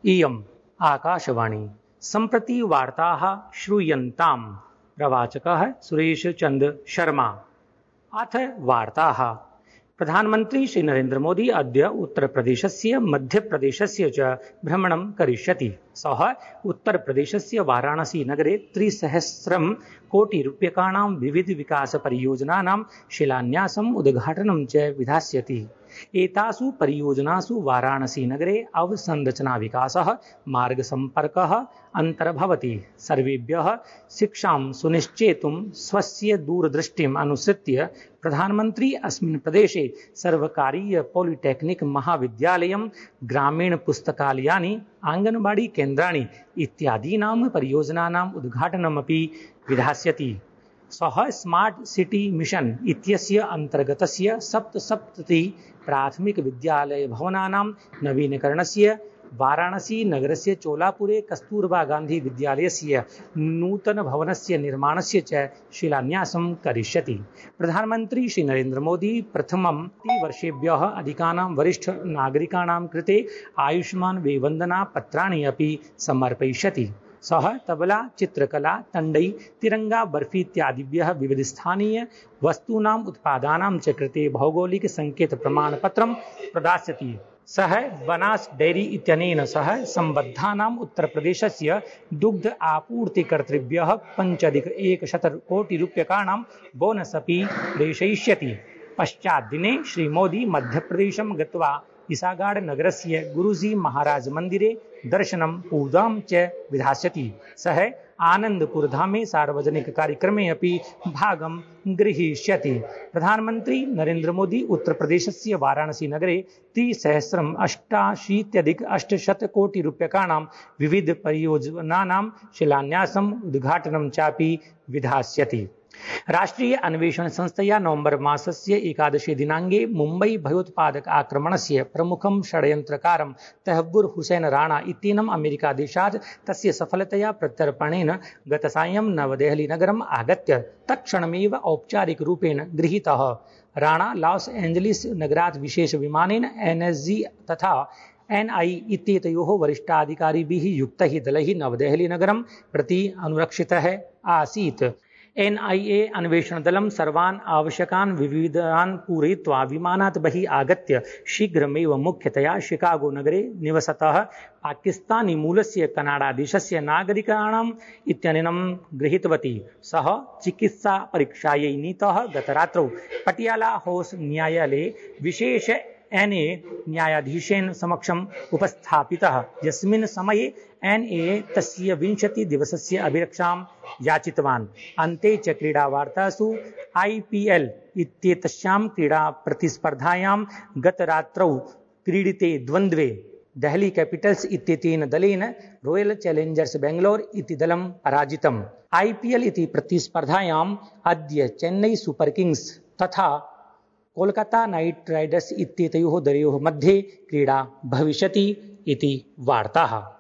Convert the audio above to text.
इयम् आकाशवाणी सम्प्रति वार्ताः श्रूयन्ताम्। प्रवाचकः सुरेशचन्द्र शर्मा। अथ वार्ताः। प्रधानमन्त्री श्री नरेन्द्र मोदी अद्य उत्तरप्रदेशस्य मध्यप्रदेशस्य च भ्रमणं करिष्यति। सः उत्तरप्रदेशस्य वाराणसी नगरे 300 कोटिरूप्यकाणां विविधविकासपरियोजनानां शिलान्यासम् उद्घाटनं च विधास्यति। एतासु परियोजनासु वाराणसी नगरे अवसंरचना विकासः, मार्गसम्पर्कः अन्तर्भवति। सर्वेभ्यः शिक्षां सुनिश्चेतुं स्वस्य दूरदृष्टिम् अनुसृत्य प्रधानमन्त्री अस्मिन् प्रदेशे सर्वकारीय पॉलिटेक्निक महाविद्यालयं, ग्रामीण पुस्तकालयानि, आङ्गनवाड़ी केन्द्राणि इत्यादीनां परियोजनानाम् उद्घाटनमपि विधास्यति। सः स्मार्ट सिटी मिशन इत्यस्य अन्तर्गतस्य 77 प्राथमिकविद्यालयभवनानां नवीनीकरणस्य, वाराणसी नगरस्य चोलापुरे कस्तूरबा गान्धी विद्यालयस्य नूतनभवनस्य निर्माणस्य च शिलान्यासं करिष्यति। प्रधानमन्त्री श्री नरेन्द्र मोदी प्रथमं 3 वर्षेभ्यः अधिकानां वरिष्ठनागरिकाणां कृते आयुष्मान् वेवन्दना पत्राणि अपि समर्पयिष्यति। सः तबला, चित्रकला, तण्डै, तिरंगा, बर्फी इत्यादिभ्यः विविधस्थानीय वस्तूनाम् उत्पादानां च कृते भौगोलिकसङ्केतप्रमाणपत्रं प्रदास्यति। सः बनास डेयरी इत्यनेन सह सम्बद्धानाम् उत्तरप्रदेशस्य दुग्ध आपूर्तिकर्तृभ्यः 5,100 कोटिरूप्यकाणां बोनस् अपि प्रेषयिष्यति। पश्चाद्दिने श्री मोदी मध्यप्रदेशं गत्वा इसागाड नगरस्य गुरुजी महाराज मन्दिरे दर्शनं पूजां च विधास्यति। सः आनन्दपुरधामे सार्वजनिककार्यक्रमे अपि भागं गृहीष्यति। प्रधानमन्त्री नरेन्द्र मोदी उत्तरप्रदेशस्य वाराणसी नगरे 388,800 कोटिरूप्यकाणां विविधपरियोजनानां शिलान्यासम्, उद्घाटनं चापि विधास्यति। राष्ट्रीय अन्वेषण संस्थया नवंबर मासस्य 11 दिनाङ्के मुम्बै भयोत्पादक आक्रमणस्य प्रमुखं षड्यन्त्रकारं तहव्वुर हुसैन राणा इत्येनम् अमेरिकादेशात् तस्य सफलतया प्रत्यर्पणेन गतसायं नवदेहलीनगरम् आगत्य तत्क्षणमेव औपचारिकरूपेण गृहीतः। राणा लॉस एञ्जलिस नगरात् विशेषविमानेन NSG तथा NI इत्येतयोः वरिष्ठाधिकारिभिः युक्तैः दलैः नवदेहलीनगरं प्रति अनुरक्षितः आसीत्। NIA अन्वेषणदलं सर्वान् आवश्यकान् विविधान् पूरयित्वा विमानात् बहिः आगत्य शीघ्रमेव मुख्यतया शिकागो नगरे निवसतः पाकिस्तानी मूलस्य कनाडादेशस्य नागरिकाणाम् इत्यनेनं गृहीतवती। सः चिकित्सापरीक्षायै नीतः गतरात्रौ पटियाला हाउस न्यायालये विशेष NA न्यायाधीशेन समक्षम् उपस्थापितः, यस्मिन् समये NA तस्य 20 दिवसस्य अभिरक्षां याचितवान्। अन्ते च क्रीडावार्तासु IPL इत्येतस्यां क्रीडाप्रतिस्पर्धायां गतरात्रौ क्रीडिते द्वन्द्वे देहली कैपिटल्स् इत्येतेन दलेन रॉयल चैलेंजर्स बेंगलोर इति दलं पराजितम्। IPL इति प्रतिस्पर्धायाम् अद्य चेन्नई सुपर किंग्स तथा कोलकाता नाइट राइडर्स इत्येतयोः दलयोः मध्ये क्रीडा भविष्यति इति वार्ताः।